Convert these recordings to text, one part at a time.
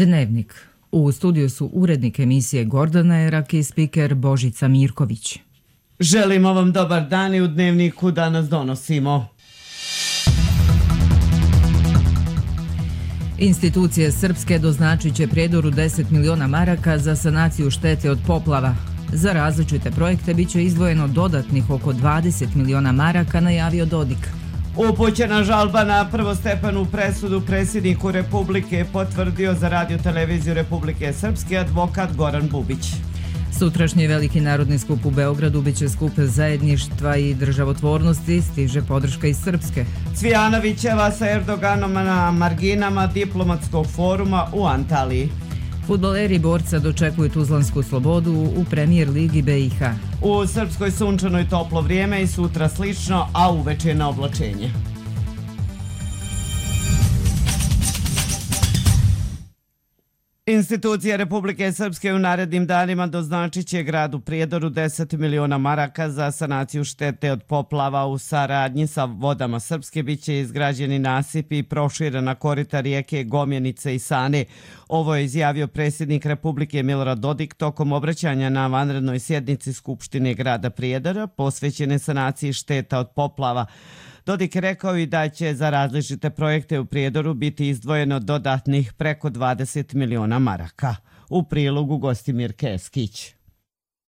Dnevnik. U studiju su urednik emisije Gordana Erak i spiker Božica Mirković. Želimo vam dobar dan i u Dnevniku danas donosimo. Institucije srpske doznačit će Prijedoru 10 miliona maraka za sanaciju štete od poplava. Za različite projekte bit će izdvojeno dodatnih oko 20 miliona maraka, najavio Dodik. Upućena žalba na prvostepenu presudu predsjedniku Republike potvrdio za Radio-televiziju Republike Srpske advokat Goran Bubić. Sutrašnji veliki narodni skup u Beogradu biće skup zajedništva i državotvornosti, stiže podrška iz Srpske. Cvijanovićeva sa Erdoganom na marginama diplomatskog foruma u Antaliji. Fudbaleri borca dočekuju Tuzlansku Slobodu u Premijer ligi BiH. U Srpskoj sunčano i toplo vrijeme i sutra slično, a uveče na oblačenje. Institucije Republike Srpske u narednim danima doznačit će gradu Prijedoru 10 miliona maraka za sanaciju štete od poplava. U saradnji sa Vodama Srpske bit će izgrađeni nasipi i proširena korita rijeke Gomjenice i Sane. Ovo je izjavio predsjednik Republike Milorad Dodik tokom obraćanja na vanrednoj sjednici Skupštine grada Prijedora posvećene sanaciji šteta od poplava. Dodik je rekao i da će za različite projekte u Prijedoru biti izdvojeno dodatnih preko 20 miliona maraka. U prilogu Gostimir Keskić.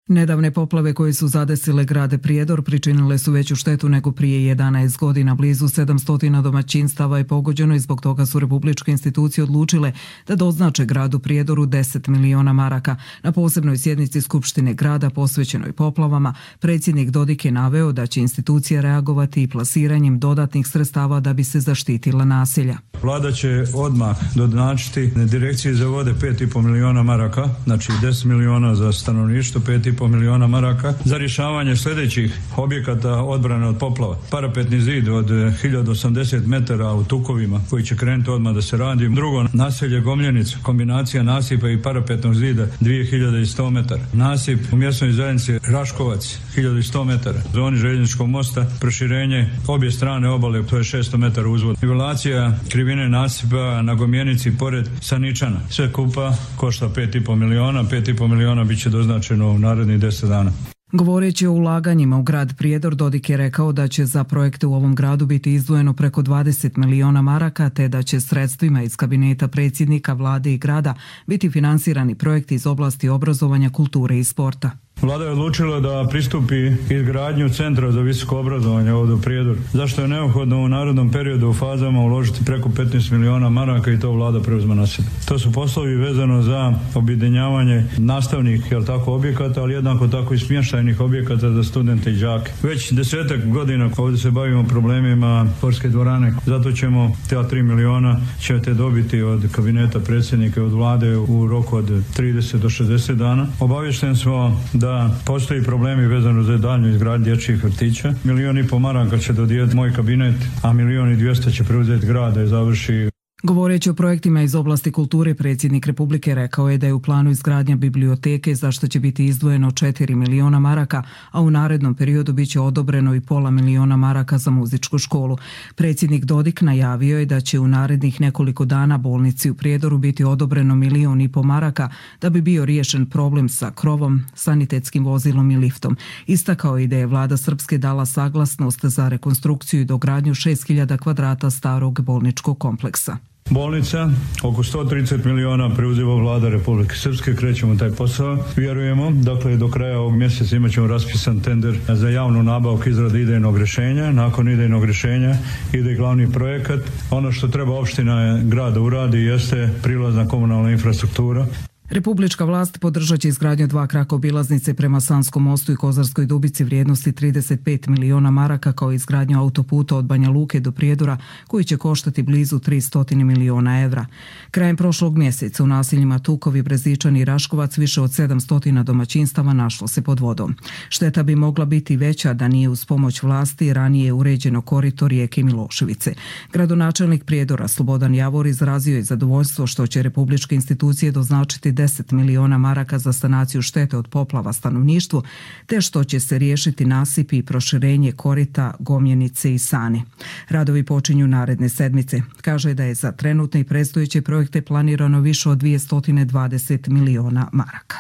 Nedavne poplave koje su zadesile grade Prijedor pričinile su veću štetu nego prije 11 godina. Blizu 700 domaćinstava je pogođeno i zbog toga su republičke institucije odlučile da doznače gradu Prijedoru 10 miliona maraka. Na posebnoj sjednici Skupštine grada posvećenoj poplavama, predsjednik Dodik je naveo da će institucija reagovati i plasiranjem dodatnih sredstava da bi se zaštitila naselja. Vlada će odmah doznačiti Direkciji za vode 5,5 miliona maraka, znači 10 miliona za stanovništvo, 5,5 miliona maraka za rješavanje sljedećih objekata odbrane od poplava. Parapetni zid od 1080 metara u Tukovima koji će krenuti odmah da se radi. Drugo, naselje Gomljenica, kombinacija nasipa i parapetnog zida 2100 metara. Nasip u mjesnoj zajednici Raškovac 1100 metara. Zoni željezničkog mosta proširenje obje strane obale, to je 600 metara uzvod. Nivelacija krivine nasipa na Gomjenici pored Saničana. Sve kupa košta 5,5 miliona. 5,5 miliona bit će doznačeno u narednih 10 dana. Govoreći o ulaganjima u grad Prijedor, Dodik je rekao da će za projekte u ovom gradu biti izdvojeno preko 20 miliona maraka, te da će sredstvima iz kabineta predsjednika vlade i grada biti finansirani projekti iz oblasti obrazovanja, kulture i sporta. Vlada je odlučila da pristupi izgradnju centra za visoko obrazovanje ovdje u Prijedoru. Zašto je neophodno u narednom periodu u fazama uložiti preko 15 miliona maraka i to vlada preuzme na sebe. To su poslovi vezano za objedinjavanje nastavnih objekata, ali jednako tako i smještajnih objekata za studente i đake. Već 10 godina ovdje se bavimo problemima sportske dvorane. Zato ćemo te 3 miliona ćete dobiti od kabineta predsjednika i od vlade u roku od 30 do 60 dana. Obavješteni smo da postoji problemi vezano za daljnju izgradnju dječjih vrtića. 1,5 miliona maraka će dodijeliti moj kabinet, a 1,2 će preuzeti grad da je završi. Govoreći o projektima iz oblasti kulture, predsjednik Republike rekao je da je u planu izgradnja biblioteke za što će biti izdvojeno 4 miliona maraka, a u narednom periodu biće odobreno i pola miliona maraka za muzičku školu. Predsjednik Dodik najavio je da će u narednih nekoliko dana bolnici u Prijedoru biti odobreno 1,5 miliona maraka da bi bio riješen problem sa krovom, sanitetskim vozilom i liftom. Istakao je da je vlada Srpske dala saglasnost za rekonstrukciju i dogradnju 6.000 kvadrata starog bolničkog kompleksa. Bolnica, oko 130 miliona preuzima vlada Republike Srpske, krećemo taj posao. Vjerujemo, dakle, do kraja ovog mjeseca imat ćemo raspisan tender za javnu nabavku izrade idejnog rješenja. Nakon idejnog rješenja ide glavni projekat. Ono što treba opština grada uradi jeste prilazna komunalna infrastruktura. Republička vlast podržat će izgradnju 2 kraka obilaznice prema Sanskom mostu i Kozarskoj Dubici vrijednosti 35 miliona maraka, kao i izgradnju autoputa od Banja Luke do Prijedora koji će koštati blizu 300 miliona evra. Krajem prošlog mjeseca u naseljima Tukovi, Brezičani i Raškovac više od 700 domaćinstava našlo se pod vodom. Šteta bi mogla biti veća da nije uz pomoć vlasti ranije uređeno korito rijeke Miloševice. Gradonačelnik Prijedora Slobodan Javor izrazio je zadovoljstvo što će republičke institucije doznačiti 10 miliona maraka za sanaciju štete od poplava stanovništvu, te što će se riješiti nasipi i proširenje korita Gomjenice i Sane. Radovi počinju naredne sedmice. Kaže da je za trenutne i predstojeće projekte planirano više od 220 miliona maraka.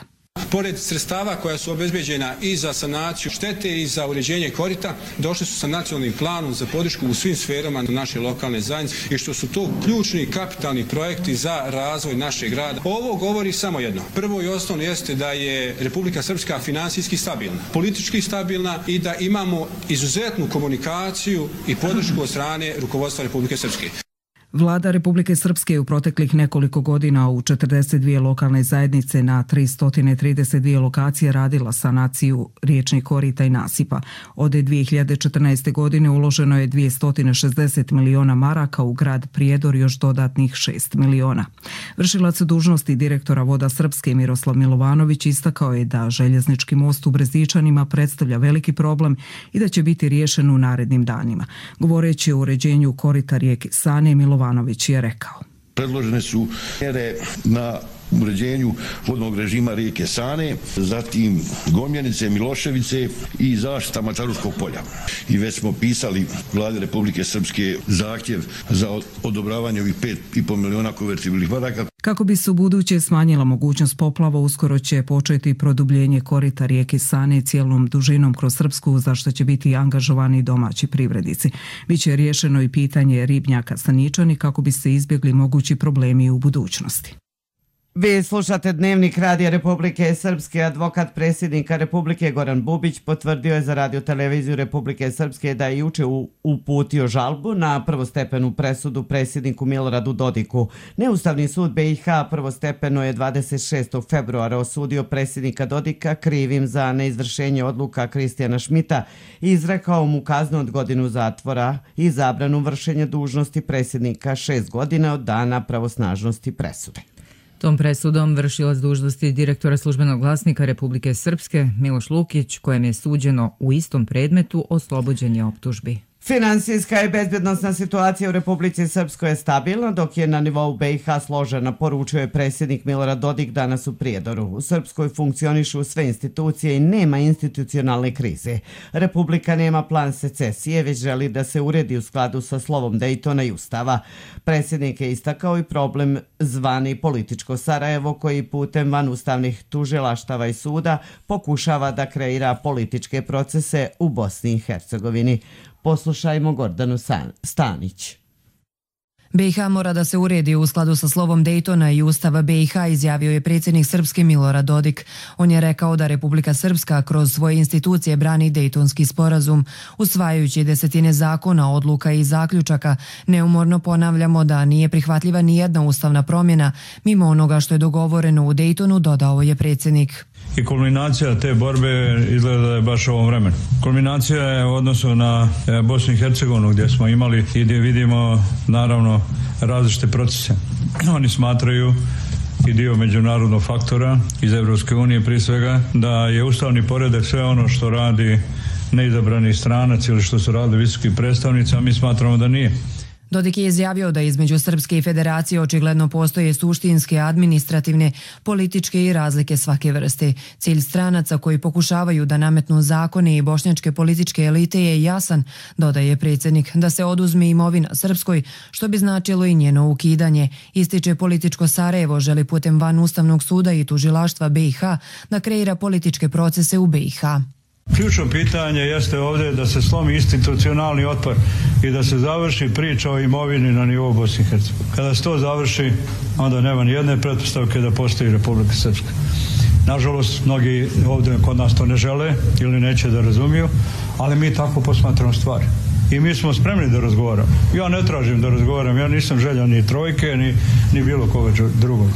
Pored sredstava koja su obezbeđena i za sanaciju štete i za uređenje korita, došli su sa nacionalnim planom za podršku u svim sferama naše lokalne zajednice i što su to ključni kapitalni projekti za razvoj našeg grada. Ovo govori samo jedno. Prvo i osnovno jeste da je Republika Srpska finansijski stabilna, politički stabilna i da imamo izuzetnu komunikaciju i podršku od strane rukovodstva Republike Srpske. Vlada Republike Srpske u proteklih nekoliko godina u 42 lokalne zajednice na 332 lokacije radila sanaciju riječnih korita i nasipa. Od 2014. godine uloženo je 260 miliona maraka, u grad Prijedor još dodatnih 6 miliona. Vršilac dužnosti direktora Voda Srpske Miroslav Milovanović istakao je da željeznički most u Brezničanima predstavlja veliki problem i da će biti riješen u narednim danima. Govoreći o uređenju korita rijeke Sane, Milovanović je rekao: Predložene su mjere na uređenju vodnog režima rijeke Sane, zatim Gomjenice, Miloševice i zaštita Mačaruškog polja. I već smo pisali Vladi Republike Srpske zahtjev za odobravanje ovih 5,5 miliona konvertibilnih maraka. Kako bi se u buduće smanjila mogućnost poplava, uskoro će početi produbljenje korita rijeke Sane cijelom dužinom kroz Srpsku, za što će biti angažovani domaći privrednici. Biće riješeno i pitanje ribnjaka Staničani kako bi se izbjegli mogući problemi u budućnosti. Vi slušate Dnevnik Radija Republike Srpske. Advokat predsjednika Republike Goran Bubić potvrdio je za Radio-televiziju Republike Srpske da je juče uputio žalbu na prvostepenu presudu predsjedniku Miloradu Dodiku. Neustavni sud BiH prvostepeno je 26. februara osudio predsjednika Dodika krivim za neizvršenje odluka Kristijana Šmita i izrekao mu kaznu od godinu zatvora i zabranu vršenja dužnosti predsjednika 6 godina od dana pravosnažnosti presude. Tom presudom vršilac dužnosti direktora Službenog glasnika Republike Srpske Miloš Lukić, kojem je suđeno u istom predmetu, oslobođen je optužbi. Finansijska i bezbjednosna situacija u Republici Srpskoj je stabilna, dok je na nivou BiH složena, poručio je predsjednik Milorad Dodik danas u Prijedoru. U Srpskoj funkcionišu sve institucije i nema institucionalne krize. Republika nema plan secesije, već želi da se uredi u skladu sa slovom Dejtona i Ustava. Predsjednik je istakao i problem zvani političko Sarajevo, koji putem vanustavnih tužilaštava i suda pokušava da kreira političke procese u Bosni i Hercegovini. Poslušajmo Gordanu Stanić. BiH mora da se uredi u skladu sa slovom Dejtona i Ustava BiH, izjavio je predsjednik Srpske Milorad Dodik. On je rekao da Republika Srpska kroz svoje institucije brani Dejtonski sporazum. Usvajajući desetine zakona, odluka i zaključaka, neumorno ponavljamo da nije prihvatljiva ni jedna ustavna promjena mimo onoga što je dogovoreno u Dejtonu, dodao je predsjednik. I kulminacija te borbe izgleda da je baš u ovom vremenu. Kulminacija je u odnosu na Bosnu i Hercegovinu, gdje smo imali i gdje vidimo naravno različite procese. Oni smatraju i dio međunarodnog faktora iz Evropske unije prije svega da je ustavni poredak sve ono što radi neizabrani stranac ili što su radili visoki predstavnici, a mi smatramo da nije. Dodik je izjavio da između Srpske i Federacije očigledno postoje suštinske, administrativne, političke i razlike svake vrste. Cilj stranaca koji pokušavaju da nametnu zakone i bošnjačke političke elite je jasan, dodaje predsjednik, da se oduzme imovina Srpskoj, što bi značilo i njeno ukidanje. Ističe političko Sarajevo želi putem van Ustavnog suda i tužilaštva BiH da kreira političke procese u BiH. Ključno pitanje jeste ovdje da se slomi institucionalni otpor i da se završi priča o imovini na nivou Bosne i Hercegovine. Kada se to završi, onda nema ni jedne pretpostavke da postoji Republika Srpska. Nažalost, mnogi ovdje kod nas to ne žele ili neće da razumiju, ali mi tako posmatramo stvari. I mi smo spremni da razgovaramo. Ja ne tražim da razgovaram, ja nisam željan ni trojke, ni bilo koga drugog.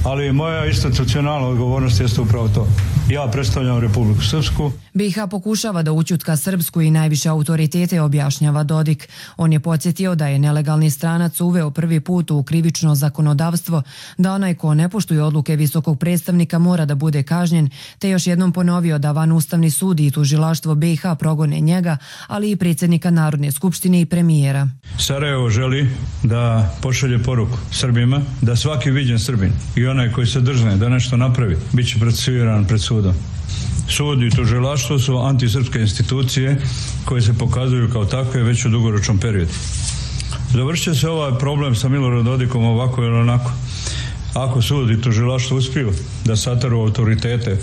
Ali moja institucionalna odgovornost jeste upravo to. Ja predstavljam Republiku Srpsku. BiH pokušava da ućutka Srpsku i najviše autoritete, objašnjava Dodik. On je podsjetio da je nelegalni stranac uveo prvi put u krivično zakonodavstvo, da onaj ko ne poštuje odluke visokog predstavnika mora da bude kažnjen, te još jednom ponovio da van Ustavni sud i tužilaštvo BiH progone njega, ali i predsjednika Narodne skupštine i premijera. Sarajevo želi da pošalje poruku Srbima da svaki viđen Srbin i onaj koji se drzne da nešto napravi, bit će procesuiran pred sudom. Sud i tužilaštvo su antisrpske institucije koje se pokazuju kao takve već u dugoročnom periodu. Završit će se ovaj problem sa Miloradom Dodikom ovako ili onako. Ako sud i tužilaštvo uspiju da sataru autoritete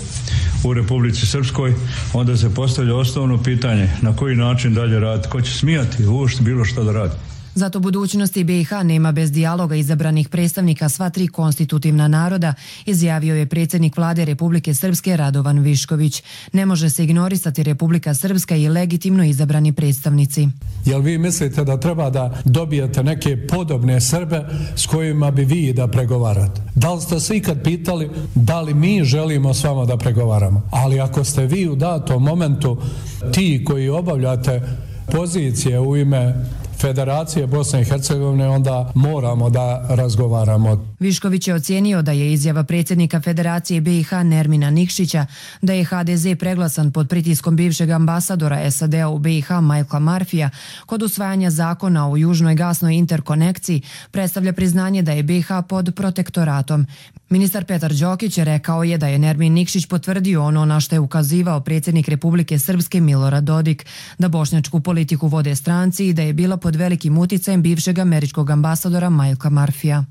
u Republici Srpskoj, onda se postavlja osnovno pitanje na koji način dalje raditi, ko će smijati uopšte bilo što da radi. Zato budućnosti BiH nema bez dijaloga izabranih predstavnika sva tri konstitutivna naroda, izjavio je predsjednik vlade Republike Srpske Radovan Višković. Ne može se ignorisati Republika Srpska i legitimno izabrani predstavnici. Jel vi mislite da treba da dobijete neke podobne Srbe s kojima bi vi da pregovarate? Da li ste se ikad pitali da li mi želimo s vama da pregovaramo? Ali ako ste vi u datom momentu ti koji obavljate pozicije u ime Federacije Bosne i Hercegovine, onda moramo da razgovaramo. Višković je ocijenio da je izjava predsjednika Federacije BiH Nermina Nikšića da je HDZ preglasan pod pritiskom bivšeg ambasadora SAD-a u BiH Michaela Murphyja kod usvajanja zakona o južnoj gasnoj interkonekciji predstavlja priznanje da je BiH pod protektoratom. Ministar Petar Đokić rekao je da je Nermin Nikšić potvrdio ono na što je ukazivao predsjednik Republike Srpske Milorad Dodik, da bošnjačku politiku vode stranci i da je bila pod velikim uticajem bivšeg američkog ambasadora Michaela Murphyja.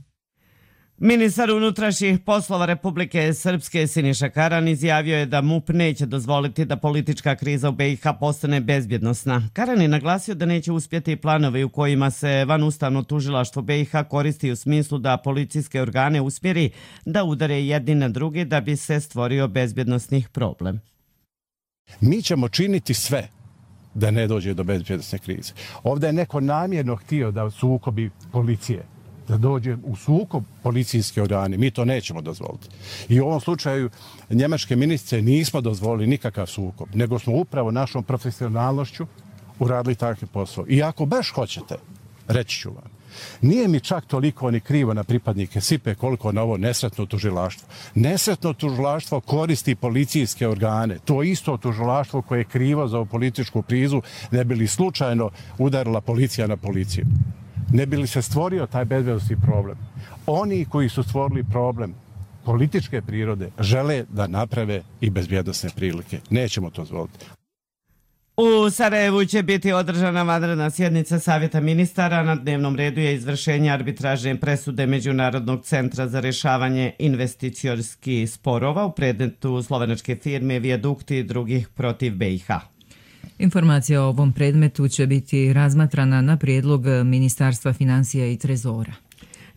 Ministar unutrašnjih poslova Republike Srpske Siniša Karan izjavio je da MUP neće dozvoliti da politička kriza u BiH postane bezbjednosna. Karan je naglasio da neće uspjeti planovi u kojima se vanustavno tužilaštvo BiH koristi u smislu da policijske organe usmjeri da udare jedni na drugi da bi se stvorio bezbjednosnih problem. Mi ćemo činiti sve da ne dođe do bezbjednosne krize. Ovdje je neko namjerno htio da sukobi policije, da dođe u sukob policijske organe. Mi to nećemo dozvoliti. I u ovom slučaju njemačke ministrice nismo dozvolili nikakav sukob, nego smo upravo našom profesionalnošću uradili takve posao. I ako baš hoćete, reći ću vam, nije mi čak toliko ni krivo na pripadnike SIPE koliko na ovo nesretno tužilaštvo. Nesretno tužilaštvo koristi policijske organe. To isto tužilaštvo koje je krivo za ovu političku krizu, ne bi li slučajno udarila policija na policiju. Ne bi li se stvorio taj bezbjednosni problem. Oni koji su stvorili problem političke prirode žele da naprave i bezbjednosne prilike. Nećemo to dozvoliti. U Sarajevu će biti održana vanredna sjednica Savjeta ministara. Na dnevnom redu je izvršenje arbitražne presude Međunarodnog centra za rješavanje investicijskih sporova u predmetu slovenačke firme Vijadukti i drugih protiv BiH. Informacija o ovom predmetu će biti razmatrana na prijedlog Ministarstva financija i trezora.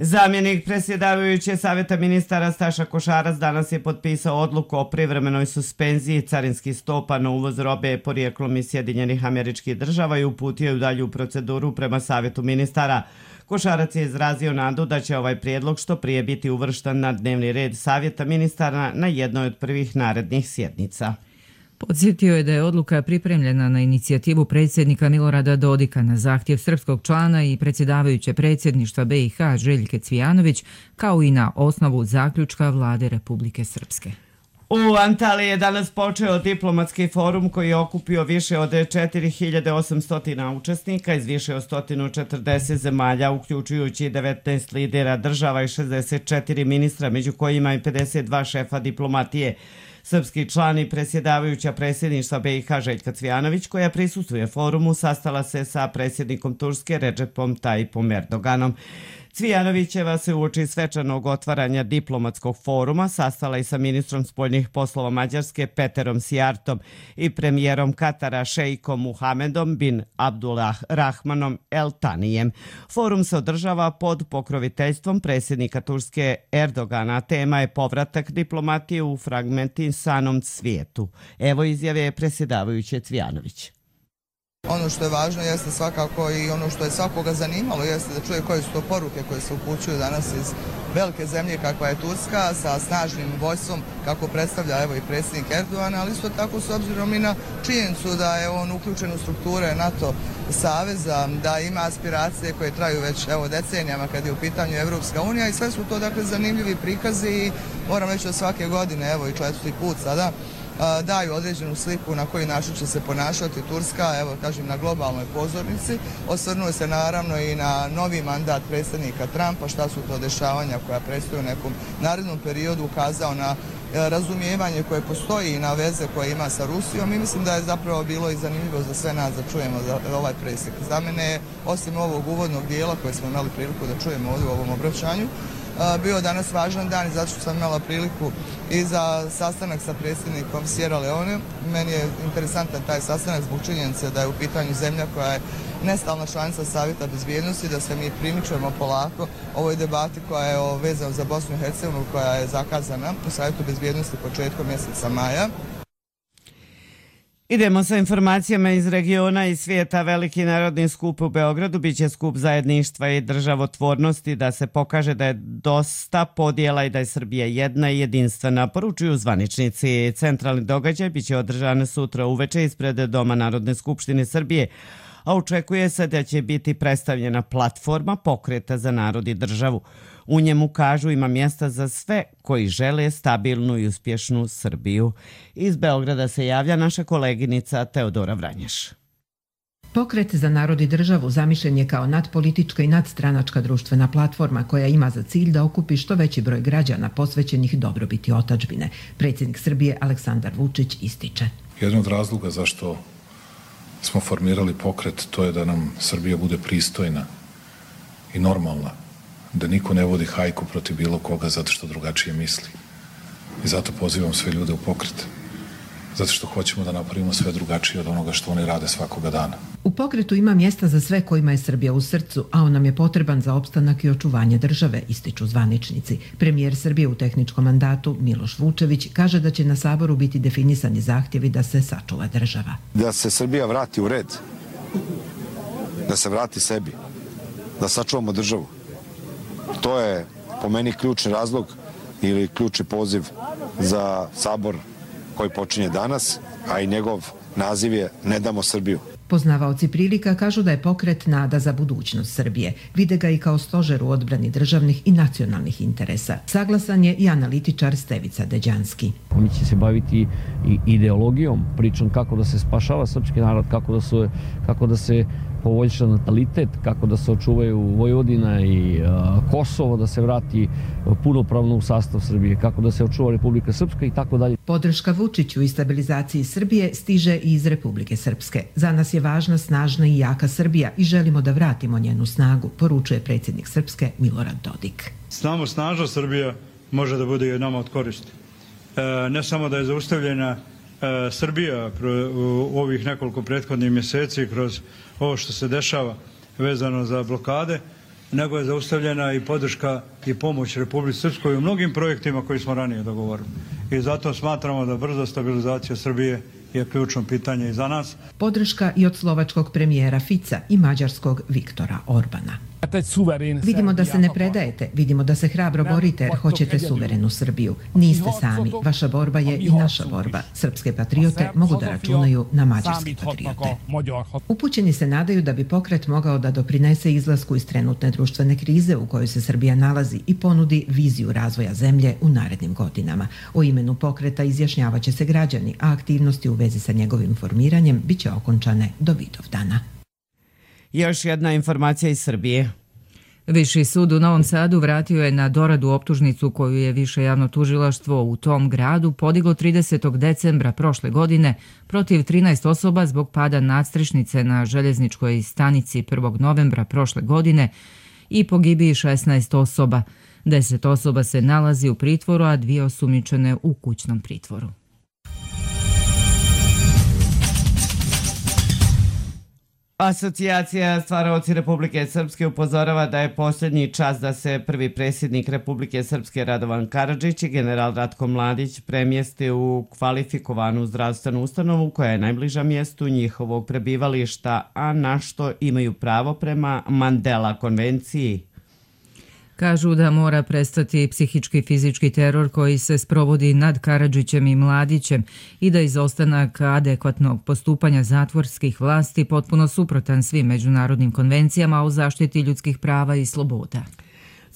Zamjenik predsjedavajuće Savjeta ministara Staša Košarac danas je potpisao odluku o privremenoj suspenziji carinskih stopa na uvoz robe porijeklom iz Sjedinjenih Američkih Država i uputio ju dalju proceduru prema Savjetu ministara. Košarac je izrazio nadu da će ovaj prijedlog što prije biti uvršten na dnevni red Savjeta ministara na jednoj od prvih narednih sjednica. Podsjetio je da je odluka pripremljena na inicijativu predsjednika Milorada Dodika na zahtjev srpskog člana i predsjedavajuće predsjedništva BiH Željke Cvijanović, kao i na osnovu zaključka vlade Republike Srpske. U Antaliji je danas počeo diplomatski forum koji je okupio više od 4800 učesnika iz više od 140 zemalja, uključujući 19 lidera država i 64 ministra, među kojima i 52 šefa diplomatije. Srpski član i predsjedavajuća predsjedništva BiH Željka Cvijanović, koja prisustvuje forumu, sastala se sa predsjednikom Turske Recepom Tayyipom Erdoganom. Cvijanovićeva se uoči svečanog otvaranja diplomatskog foruma sastala i sa ministrom spoljnih poslova Mađarske Peterom Sijartom i premijerom Katara šejkom Muhamedom bin Abdulrahmanom El Tanijem. Forum se održava pod pokroviteljstvom predsjednika Turske Erdogana. Tema je povratak diplomatije u fragmentisanom svijetu. Evo izjave predsjedavajuće Cvijanović. Ono što je važno jeste svakako i ono što je svakoga zanimalo jeste da čuje koje su to poruke koje se upućuju danas iz velike zemlje kakva je Turska sa snažnim vojstvom kako predstavlja evo i predsjednik Erdogan, ali isto tako s obzirom i na činjenicu da je on uključen u strukture NATO saveza, da ima aspiracije koje traju već evo decenijama kad je u pitanju Evropska unija i sve su to dakle zanimljivi prikazi i moram reći da svake godine evo i četvrti put sada daju određenu sliku na koji način će se ponašati Turska, evo kažem, na globalnoj pozornici. Osvrnuo se naravno i na novi mandat predsjednika Trumpa, šta su to dešavanja koja predstoje u nekom narednom periodu, ukazao na razumijevanje koje postoji i na veze koje ima sa Rusijom i mislim da je zapravo bilo i zanimljivo za sve nas da čujemo za ovaj presjek. Za mene, osim ovog uvodnog dijela koje smo imali priliku da čujemo ovdje u ovom obraćanju, bio danas važan dan i zato što sam imala priliku i za sastanak sa predsjednikom Sierra Leone. Meni je interesantan taj sastanak zbog činjenice da je u pitanju zemlja koja je nestalna članica Savjeta bezbjednosti, da se mi primičujemo polako ovoj debati koja je vezana za Bosnu i Hercegovinu, koja je zakazana u Savjetu bezbjednosti početkom mjeseca maja. Idemo sa informacijama iz regiona i svijeta. Veliki narodni skup u Beogradu biće skup zajedništva i državotvornosti, da se pokaže da je dosta podjela i da je Srbija jedna i jedinstvena, poručuju zvaničnici. Centralni događaj biće održan sutra uveče ispred Doma Narodne skupštine Srbije, a očekuje se da će biti predstavljena platforma Pokreta za narod i državu. U njemu, kažu, ima mjesta za sve koji žele stabilnu i uspješnu Srbiju. Iz Beograda se javlja naša koleginica Teodora Vranješ. Pokret za narod i državu zamišljen je kao nadpolitička i nadstranačka društvena platforma koja ima za cilj da okupi što veći broj građana posvećenih dobrobiti otadžbine. Predsjednik Srbije Aleksandar Vučić ističe. Jedan od razloga zašto smo formirali pokret, to je da nam Srbija bude pristojna i normalna, da niko ne vodi hajku protiv bilo koga zato što drugačije misli. I zato pozivam sve ljude u pokret, zato što hoćemo da napravimo sve drugačije od onoga što oni rade svakoga dana. U pokretu ima mjesta za sve kojima je Srbija u srcu, a on nam je potreban za opstanak i očuvanje države, ističu zvaničnici. Premijer Srbije u tehničkom mandatu Miloš Vučević kaže da će na Saboru biti definisani zahtjevi da se sačuva država. Da se Srbija vrati u red, da se vrati sebi, da sačuvamo državu. To je po meni ključni razlog ili ključni poziv za Sabor koji počinje danas, a i njegov naziv je Ne damo Srbiju. Poznavaoci prilika kažu da je pokret nada za budućnost Srbije. Vide ga i kao stožer u odbrani državnih i nacionalnih interesa. Saglasan je i analitičar Stevica Deđanski. Oni će se baviti i ideologijom, pričom kako da se spašava srpski narod, kako da se poboljša natalitet, kako da se očuvaju Vojvodina i Kosovo, da se vrati punopravno u sastav Srbije, kako da se očuva Republika Srpska i tako dalje. Podrška Vučiću i stabilizaciji Srbije stiže i iz Republike Srpske. Za nas je važna, snažna i jaka Srbija i želimo da vratimo njenu snagu, poručuje predsjednik Srpske Milorad Dodik. Samo snažna Srbija može da bude i nama od koristi. Ne samo da je zaustavljena Srbija u ovih nekoliko prethodnih mjeseci kroz ovo što se dešava vezano za blokade, nego je zaustavljena i podrška i pomoć Republici Srpskoj u mnogim projektima koji smo ranije dogovorili. I zato smatramo da brza stabilizacija Srbije je ključno pitanje i za nas. Podrška i od slovačkog premijera Fica i mađarskog Viktora Orbana. Vidimo da se ne predajete, vidimo da se hrabro borite jer hoćete suverenu Srbiju. Niste sami, vaša borba je i naša borba. Srpske patriote mogu da računaju na mađarske patriote. Upućeni se nadaju da bi pokret mogao da doprinese izlasku iz trenutne društvene krize u kojoj se Srbija nalazi i ponudi viziju razvoja zemlje u narednim godinama. O imenu pokreta izjašnjavaće se građani, a aktivnosti u vezi sa njegovim formiranjem biće okončane do Vidovdana. Još jedna informacija iz Srbije. Viši sud u Novom Sadu vratio je na doradu optužnicu koju je više javno tužilaštvo u tom gradu podiglo 30. decembra prošle godine protiv 13 osoba zbog pada nadstrešnice na željezničkoj stanici 1. novembra prošle godine i pogibiji 16 osoba. 10 osoba se nalazi u pritvoru, a 2 osumnjičene u kućnom pritvoru. Asocijacija stvaraoci Republike Srpske upozorava da je posljednji čas da se prvi predsjednik Republike Srpske Radovan Karadžić i general Ratko Mladić premjeste u kvalifikovanu zdravstvenu ustanovu koja je najbliža mjestu njihovog prebivališta, a na što imaju pravo prema Mandela konvenciji. Kažu da mora prestati psihički i fizički teror koji se sprovodi nad Karadžićem i Mladićem i da izostanak adekvatnog postupanja zatvorskih vlasti potpuno suprotan svim međunarodnim konvencijama o zaštiti ljudskih prava i sloboda.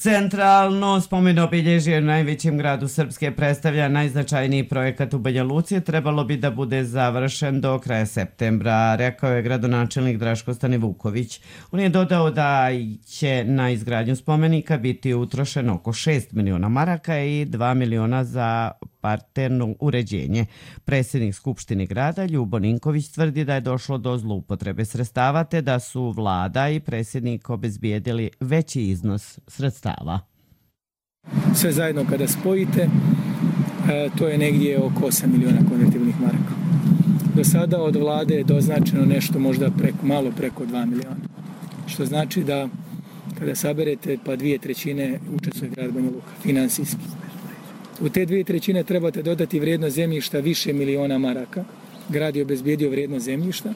Centralno spomen obilježje u najvećem gradu Srpske predstavlja najznačajniji projekat u Banja Luci, trebalo bi da bude završen do kraja septembra, rekao je gradonačelnik Draško Stanivuković. On je dodao da će na izgradnju spomenika biti utrošeno oko 6 miliona maraka i 2 miliona za parterno uređenje. Predsjednik Skupštine grada Ljubo Ninković tvrdi da je došlo do zloupotrebe sredstava te da su vlada i predsjednik obezbijedili veći iznos sredstava. Sve zajedno kada spojite, to je negdje oko 8 miliona konvertibilnih maraka. Do sada od vlade je doznačeno nešto možda malo preko 2 miliona. Što znači da kada saberete pa 2/3 učestvuje grad Banja Luka, finansijski. U te 2/3 trebate dodati vrijednost zemljišta više miliona maraka. Grad je obezbijedio vrijednost zemljišta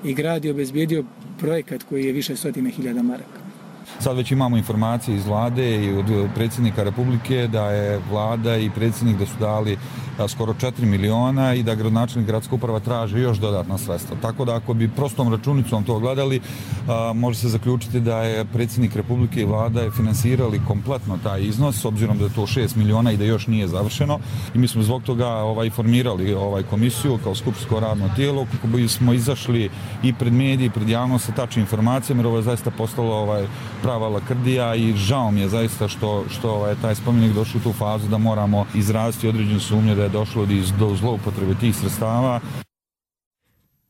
i grad je obezbijedio projekat koji je više stotina hiljada maraka. Sad već imamo informacije iz vlade i od predsjednika Republike da je vlada i predsjednik da su dali skoro 4 miliona i da gradonačelnik gradska uprava traži još dodatna sredstva. Tako da ako bi prostom računicom to gledali, može se zaključiti da je predsjednik Republike i vlada je finansirali kompletno taj iznos, s obzirom da je to 6 miliona i da još nije završeno. I mi smo zbog toga formirali komisiju kao skupštinsko radno tijelo kako bismo izašli i pred mediji, pred javnost sa tačnim informacijama, jer ovo je zaista postalo prava lakrdija i žao mi je zaista što je taj spomenik došao u tu fazu da moramo izraziti određenu sumnju da je došlo do zloupotrebe tih sredstava.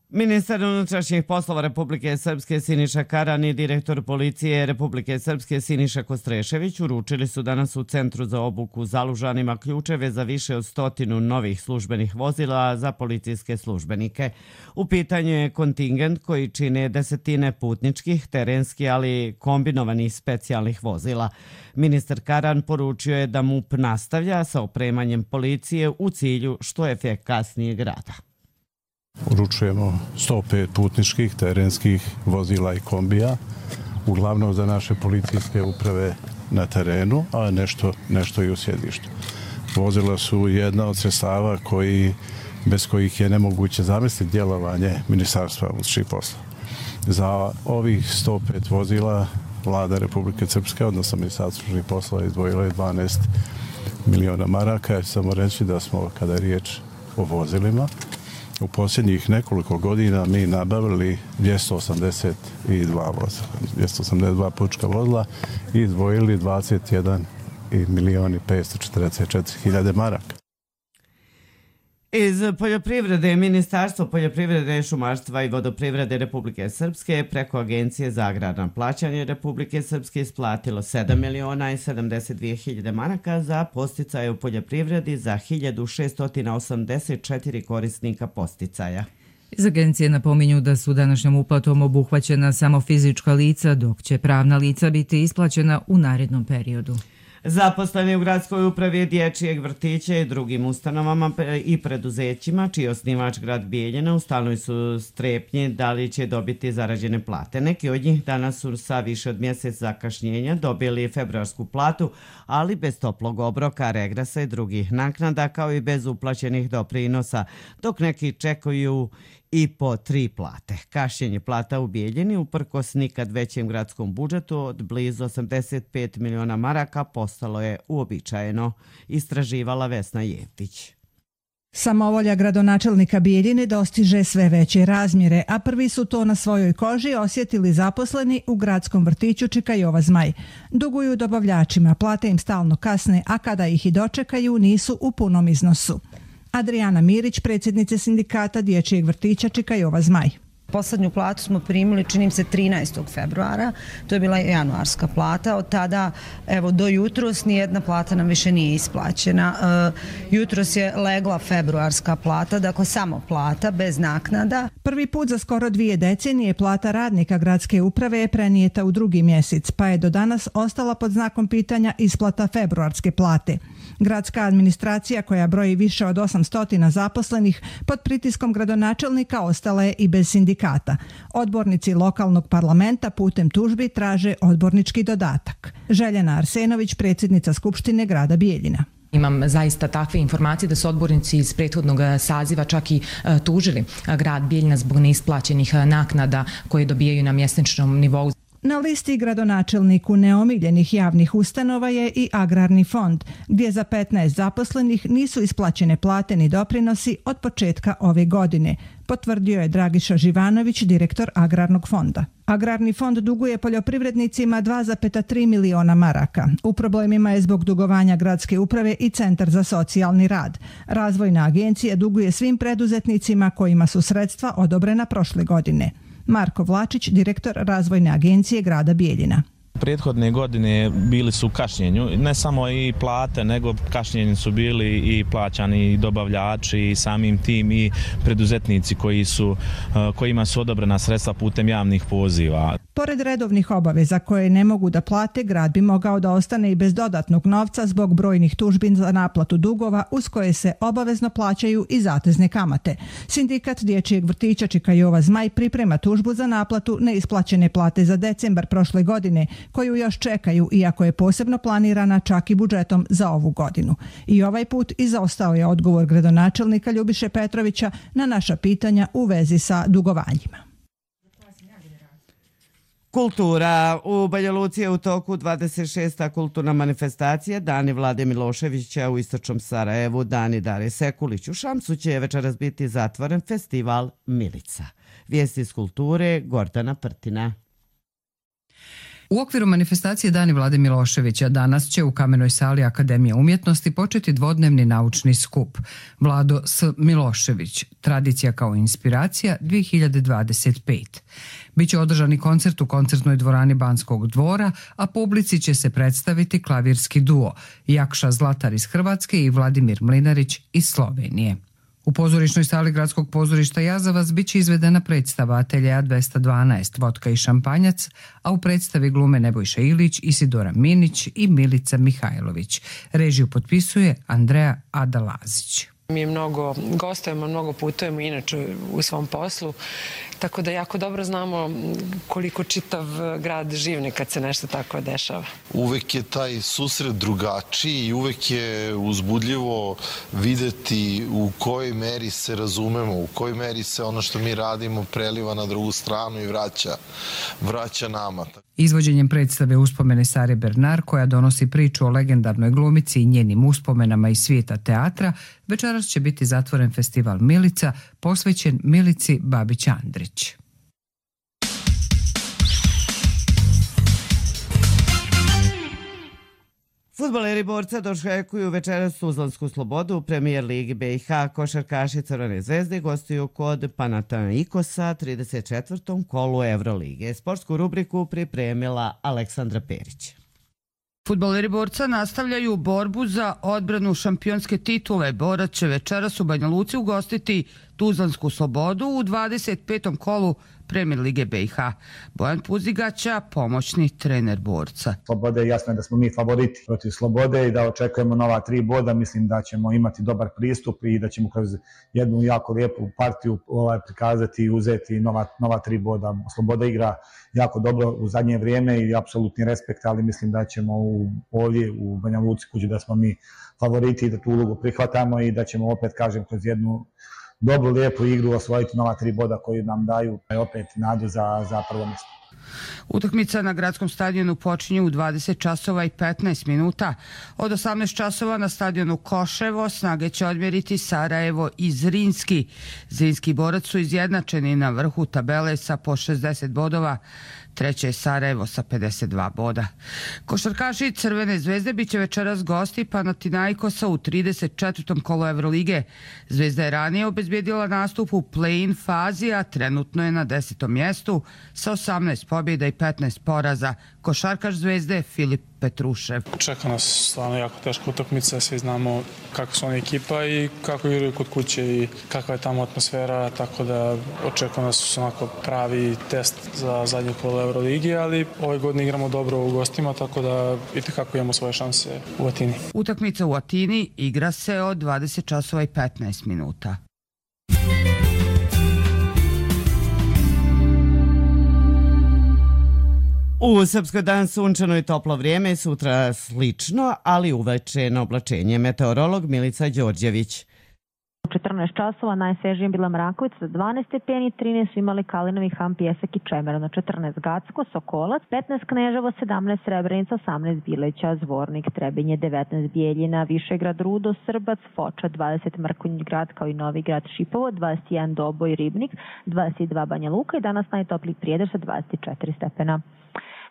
Ministar unutrašnjih poslova Republike Srpske Siniša Karan i direktor policije Republike Srpske Siniša Kostrešević uručili su danas u Centru za obuku Zalužanima ključeve za više od 100 novih službenih vozila za policijske službenike. U pitanju je kontingent koji čine desetine putničkih, terenskih, ali kombinovanih specijalnih vozila. Ministar Karan poručio je da MUP nastavlja sa opremanjem policije u cilju što efikasnijeg rada. Uručujemo 105 putničkih, terenskih vozila i kombija, uglavnom za naše policijske uprave na terenu, a nešto i u sjedištu. Vozila su jedna od sredstava bez kojih je nemoguće zamisliti djelovanje Ministarstva unutrašnjih poslova. Za ovih 105 vozila vlada Republike Srpske, odnosno Ministarstvo unutrašnjih poslova, izdvojilo je 12 miliona maraka, jer samo reći da smo, kada je riječ o vozilima, u posljednjih nekoliko godina mi nabavili 282 vozila, 282 putnička vozila i izdvojili 21 milion i 544 hiljade maraka. Iz poljoprivrede, Ministarstvo poljoprivrede, šumarstva i vodoprivrede Republike Srpske preko Agencije za agrarna plaćanje Republike Srpske isplatilo 7 miliona i 72 hiljade maraka za podsticaje u poljoprivredi za 1684 korisnika podsticaja. Iz agencije napominju da su današnjom uplatom obuhvaćena samo fizička lica, dok će pravna lica biti isplaćena u narednom periodu. Zaposleni u gradskoj upravi dječjeg vrtića i drugim ustanovama i preduzećima, čiji je osnivač grad Bijeljina, u stalnoj su strepnji da li će dobiti zarađene plate. Neki od njih danas su sa više od mjesec zakašnjenja dobili februarsku platu, ali bez toplog obroka, regresa i drugih naknada, kao i bez uplaćenih doprinosa, dok neki čekaju i po 3 plate. Kašnjenje plata u Bijeljini uprkos nikad većem gradskom budžetu od blizu 85 miliona maraka postalo je uobičajeno, istraživala Vesna Jevtić. Samovolja gradonačelnika Bijeljine dostiže sve veće razmjere, a prvi su to na svojoj koži osjetili zaposleni u gradskom vrtiću Čika Jova Zmaj. Duguju dobavljačima, plate im stalno kasne, a kada ih i dočekaju nisu u punom iznosu. Adriana Mirić, predsjednice sindikata dječjeg vrtića Čika Jova Zmaj. Poslednju platu smo primili, činim se, 13. februara. To je bila januarska plata. Od tada, do jutros, nijedna plata nam više nije isplaćena. Jutros je legla februarska plata, dakle samo plata, bez naknada. Prvi put za skoro 2 decenije plata radnika gradske uprave je prenijeta u 2. mjesec, pa je do danas ostala pod znakom pitanja isplata februarske plate. Gradska administracija, koja broji više od 800 zaposlenih, pod pritiskom gradonačelnika ostala je i bez sindikata. Odbornici lokalnog parlamenta putem tužbi traže odbornički dodatak. Željana Arsenović, predsjednica Skupštine grada Bijeljina. Imam zaista takve informacije da su odbornici iz prethodnog saziva čak i tužili grad Bijeljina zbog neisplaćenih naknada koje dobijaju na mjesečnom nivou. Na listi gradonačelniku neomiljenih javnih ustanova je i Agrarni fond, gdje za 15 zaposlenih nisu isplaćene plate ni doprinosi od početka ove godine, potvrdio je Dragiša Živanović, direktor Agrarnog fonda. Agrarni fond duguje poljoprivrednicima 2,3 miliona maraka. U problemima je zbog dugovanja gradske uprave i Centar za socijalni rad. Razvojna agencija duguje svim preduzetnicima kojima su sredstva odobrena prošle godine. Marko Vlačić, direktor Razvojne agencije grada Bijeljina. Prethodne godine bili su u kašnjenju, ne samo i plate, nego kašnjenju su bili i plaćani i dobavljači i samim tim i preduzetnici kojima su odobrena sredstva putem javnih poziva. Pored redovnih obaveza koje ne mogu da plate, grad bi mogao da ostane i bez dodatnog novca zbog brojnih tužbi za naplatu dugova uz koje se obavezno plaćaju i zatezne kamate. Sindikat dječjeg vrtića Čika Jova Zmaj priprema tužbu za naplatu neisplaćene plate za decembar prošle godine, koju još čekaju, iako je posebno planirana čak i budžetom za ovu godinu. I ovaj put izostao je odgovor gradonačelnika Ljubiše Petrovića na naša pitanja u vezi sa dugovanjima. Kultura. U Banja Luci je u toku 26. kulturna manifestacija Dani Vlade Miloševića u istočnom Sarajevu, Dani Dare Sekulić. U Šamcu će večeras biti zatvoren festival Milica. Vijesti iz kulture, Gordana Prtina. U okviru manifestacije Dani Vlade Miloševića danas će u Kamenoj sali Akademije umjetnosti početi dvodnevni naučni skup Vlado S. Milošević, tradicija kao inspiracija 2025. Biće održani koncert u koncertnoj dvorani Banskog dvora, a publici će se predstaviti klavirski duo Jakša Zlatar iz Hrvatske i Vladimir Mlinarić iz Slovenije. U pozorišnoj sali Gradskog pozorišta Jazavac biće izvedena predstava Ateljeja 212 Vodka i šampanjac, a u predstavi glume Nebojša Ilić, Isidora Minić i Milica Mihajlović. Režiju potpisuje Andreja Adalazić. Mi mnogo gostujemo, mnogo putujemo inače u svom poslu, tako da jako dobro znamo koliko čitav grad živne kad se nešto tako dešava. Uvek je taj susret drugačiji i uvek je uzbudljivo videti u kojoj meri se razumemo, u kojoj meri se ono što mi radimo preliva na drugu stranu i vraća nama. Izvođenjem predstave Uspomene Sare Bernard, koja donosi priču o legendarnoj glumici i njenim uspomenama iz svijeta teatra, večeras će biti zatvoren festival Milica, posvećen Milici Babić-Andrić. Fudbaleri Borca dočekuju večeras Tuzlansku Slobodu u Premijer Ligi BiH. Košarkaši Crvene zvezde gostuju kod Panathinaikosa 34. kolu Evrolige. Sportsku rubriku pripremila Aleksandra Perić. Fudbaleri Borca nastavljaju borbu za odbranu šampionske titule. Borac će večeras u Banja Luci ugostiti Tuzlansku Slobodu u 25. kolu Premijer Lige BiH. Bojan Puzigaća, pomoćni trener Borca. Slobode, jasno je da smo mi favoriti protiv Slobode i da očekujemo nova 3 boda. Mislim da ćemo imati dobar pristup i da ćemo kroz jednu jako lijepu partiju prikazati i uzeti nova 3 boda. Sloboda igra jako dobro u zadnje vrijeme i apsolutni respekt, ali mislim da ćemo ovdje u Banja Luci kući da smo mi favoriti i da tu ulogu prihvatamo i da ćemo opet, kažem, kroz jednu dobru, lijepu igru osvojiti nova 3 boda koji nam daju opet nadu za prvo mjesto. Utakmica na gradskom stadionu počinje u 20 časova i 15 minuta. Od 18 časova na stadionu Koševo snage će odmjeriti Sarajevo i Zrinski. Zrinski Borac su izjednačeni na vrhu tabele sa po 60 bodova. Treće je Sarajevo sa 52 boda. Košarkaši Crvene zvezde bit će večeras gosti Panathinaikosa u 34. kolu Evrolige. Zvezda je ranije obezbijedila nastup u play-in fazi, a trenutno je na 10. mjestu sa 18 pobjeda i 15 poraza. Košarkaš Zvezde Filip Petrušev. Čeka nas stvarno jako teška utakmica, svi znamo kako su oni ekipa i kako igraju kod kuće i kakva je tamo atmosfera, tako da očekujem da su onako pravi test za zadnje kolo Euroligi, ali ove godine igramo dobro u gostima, tako da itekako imamo svoje šanse u Atini. Utakmica u Atini igra se od 20 časova i 15 minuta. U Srpskoj dan sunčano i toplo vrijeme, sutra slično, ali uveče na oblačenje. Meteorolog Milica Đorđević. U 14 časova najsvežije bila Mrakovica za 12 stepeni, 13 su imali Kalinovi, Ham, Pjesak i Čemerno, 14 Gacko, Sokolac, 15 Kneževo, 17 Srebrenica, 18 Bileća, Zvornik, Trebinje, 19 Bijeljina, Višegrad, Rudo, Srbac, Foča, 20 Mrkonjić Grad kao i Novi Grad, Šipovo, 21 Doboj, Ribnik, 22 Banja Luka i danas najtopliji Prijedor sa 24 stepena.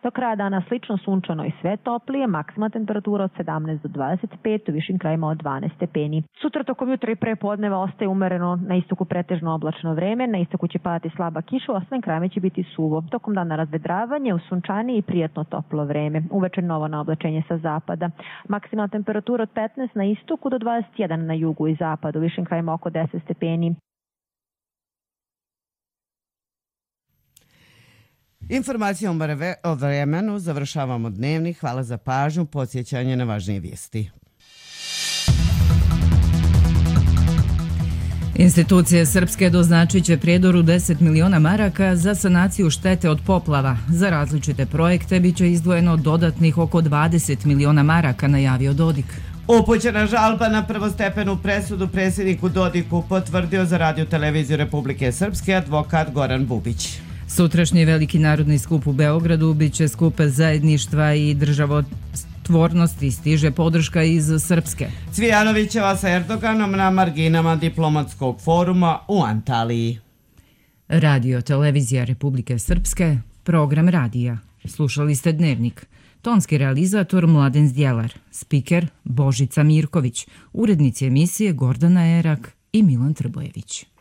Do kraja dana slično sunčano i sve toplije, maksimalna temperatura od 17 do 25, u višim krajima od 12 stepeni. Sutra tokom jutra i prepodneva ostaje umereno, na istoku pretežno oblačno vreme, na istoku će padati slaba kiša, u ostalim krajima će biti suvo. Tokom dana razvedravanje, u sunčanije i prijatno toplo vreme. Uveče novo naoblačenje sa zapada. Maksimalna temperatura od 15 na istoku do 21 na jugu i zapadu, u višim krajima oko 10 stepeni. Informacijom o vremenu završavamo dnevnik. Hvala za pažnju, podsjećanje na važnije vijesti. Institucije srpske doznačit će Prijedoru 10 miliona maraka za sanaciju štete od poplava. Za različite projekte biće izdvojeno dodatnih oko 20 miliona maraka, najavio Dodik. Upućena žalba na prvostepenu presudu predsjedniku Dodiku potvrdio za Radio televiziju Republike Srpske advokat Goran Bubić. Sutrašnji veliki narodni skup u Beogradu biće skup zajedništva i državotvornosti, stiže podrška iz Srpske. Cvijanovićeva sa Erdoganom na marginama diplomatskog foruma u Antaliji. Radio televizija Republike Srpske, program radija. Slušali ste Dnevnik. Tonski realizator Mladen Zdjelar, spiker Božica Mirković, urednici emisije Gordana Erak i Milan Trbojević.